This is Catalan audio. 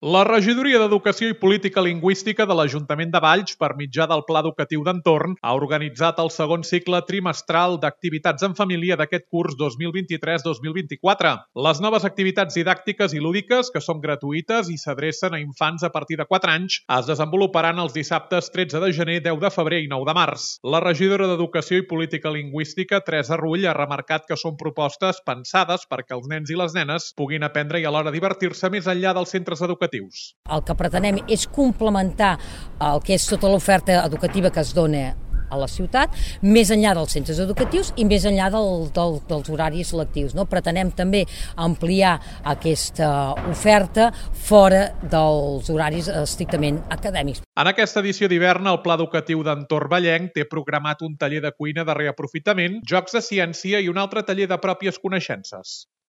La Regidoria d'Educació i Política Lingüística de l'Ajuntament de Valls, per mitjà del Pla Educatiu d'Entorn, ha organitzat el segon cicle trimestral d'activitats en família d'aquest curs 2023-2024. Les noves activitats didàctiques i lúdiques, que són gratuïtes i s'adrecen a infants a partir de 4 anys, es desenvoluparan els dissabtes 13 de gener, 10 de febrer i 9 de març. La regidora d'Educació i Política Lingüística, Teresa Rull, ha remarcat que són propostes pensades perquè els nens i les nenes puguin aprendre i alhora divertir-se més enllà dels centres educatius. El que pretenem és complementar el que és tota l'oferta educativa que es dona a la ciutat, més enllà dels centres educatius i més enllà dels horaris lectius. Pretenem també ampliar aquesta oferta fora dels horaris estrictament acadèmics. En aquesta edició d'hivern, el Pla Educatiu d'Entorn Vallenc té programat un taller de cuina de reaprofitament, jocs de ciència i un altre taller de pròpies coneixences.